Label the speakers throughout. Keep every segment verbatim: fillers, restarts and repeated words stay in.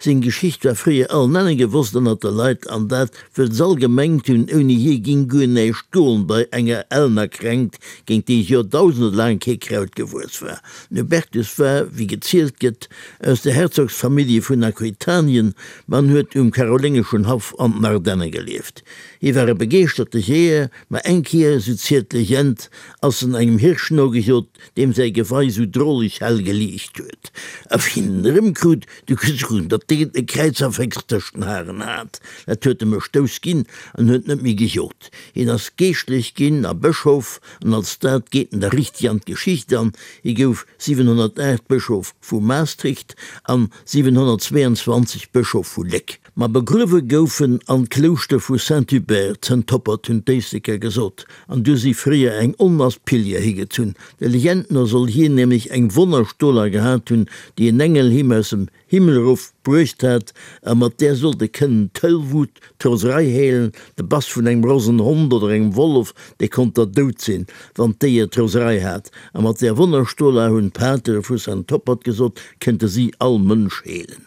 Speaker 1: Seng Geschicht war fréier allen Enne gewosst ënnert de Leit, an dat wëll s'all gemengt hunn, ouni hie ging guer näischt goen bei enger ellener Kränkt, géint déi joerdausende laang kee Kraut gewuess war. Den Hubertus war, wéi gezielt gëtt, aus der Herzogsfamillje vun Aquitanien, ma en huet um karoléngeschen Haff an den Ardenne gelieft. Hie war e begeeschterte Jeeër, ma eng Kéier, sou zielt d'Legend, ass en engem Hirsch nogejot, deem säi Gewei sou droleg hell geliicht huet. A wéi en en erëmkrut, du gesouch en, datt deen e Kräizerféchs tëscht den Haren hat. Dat huet em e Stouss ginn an huet net méi gejot. Hien ass Geeschtlech ginn a Bëschof, an als dat geet en da richteg an d'Geschicht an. Hie gouf siwenhonnertaacht Bëschof vu Maastricht an siwenhonnertzweeanzwanzeg Bëschof vu Léck. Ma begruewe gouf en an d'Klouschter vu Saint-Hubert, Zëntoppert, hunn d'Éisleker gesot, an du si fréier eng Onmass Pilger higezunn. Der Legend no soll hien nämlech eng Wonnerstola gehat hunn, déi en Engel him aus dem Himmel erof bruecht hat, a mat där sollt e kënnen d'Tollwut, d'Roserei heelen, de Bass vun engem rosen Hond oder engem Wollef, dee konnt der dout sinn, wann d'Déier d'Roserei hat, a mat där Wonnerstola, hunn d'Patere vu Saint-Toppert gesot, kënnte si all Mënsch heelen.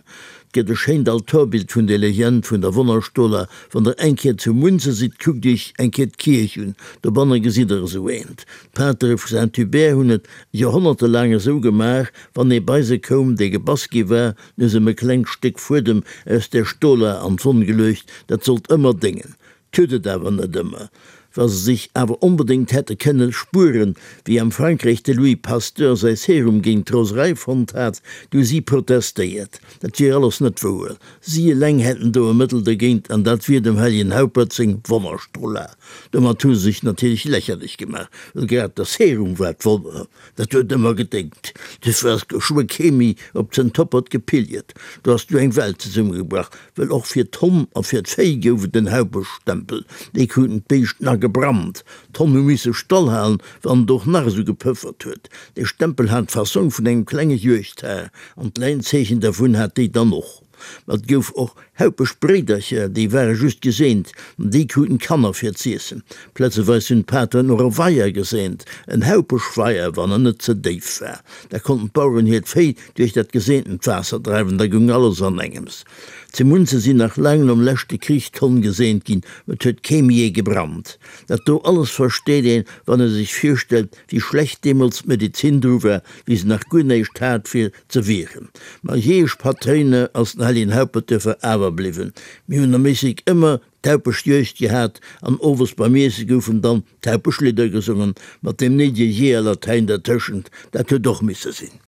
Speaker 1: 't gëtt e schéint Altorbild vun der Legend vun der Wonnerstola. Wann der eng Kéier zu Munze sidd, kuckt iech eng Kéier d'Kierch un, dobanne gesitt der esou eent. D'Patere vu Saint-Hubert hunn et Joerhonnerte laang esou gemaach, wann ee bei se koum, dee gebass gi war, hu se em e klengt Stéck Fuedem aus där Stola an d'Wonn geluecht, dat sollt ëmmer déngen. 't huet et awer net ëmmer. Wa se sech awer onbedéngt hätte kënne spueren, wéi am Frankräich de Louis Pasteur säi Serum géint d'Roserei fonnt hat, du hu si protestéiert, dat wier alles net wouer, si eleng hätten do e Mëttel dergéint an dat wier dem helljen Haupert seng Wonnerstrola. Domat hu se sech natierlech lächerlech gemaach, well grad de Serum war d'Wonner, dat huet ëmmer gedéngt. Duerfir ass geschwë kee méi op Zëntoppert gepilgert, do ass du eng Welt zesummegebrach, Well och fir d'Honn a fir d'Véi gouf et en Haupeschstempel, déi kruten d'Béischt na gebrannt. D'Honn hu misse stallhalen, wann et och nach esou gepëffert huet. Dee Stempel hat d'Fassong vun engem klenge Juegdhar, an d'Läinzeechen dervun hat déi dann och. Ma et gouf och Haupeschbréidercher, déi ware just geseent, an déi kruten d'Kanner fir z'iessen. Plazeweis hunn d'Pateren och e Weier geseent, en Haupeschweier, wann en net ze déif war. Da konnten d'Baueren hiert Véi duerch dat geseentent Waasser dreiwen, da goung alles an engems. Zu Munze sinn nach laang nom leschte Krich d'Honn geseent ginn, ma et huet kee méi ee gebrannt. Dat do alles versteet een, wann ee sech virstellt, wéi schlecht deemools d'Medezin dru war, wéi se nach guer näischt hat fir ze wieren. Ma Jeeëschpatréiner ass den Helljen Haupert duerfir awer bliwwen. Mir hunn am Éislek ëmmer d'Haupeschjuegd gehat an owes beim Iesse goufen dann d'Haupeschlidder gesongen, mat deem néidege Jeeërlatäin dertëschent. Dat huet och misse sinn.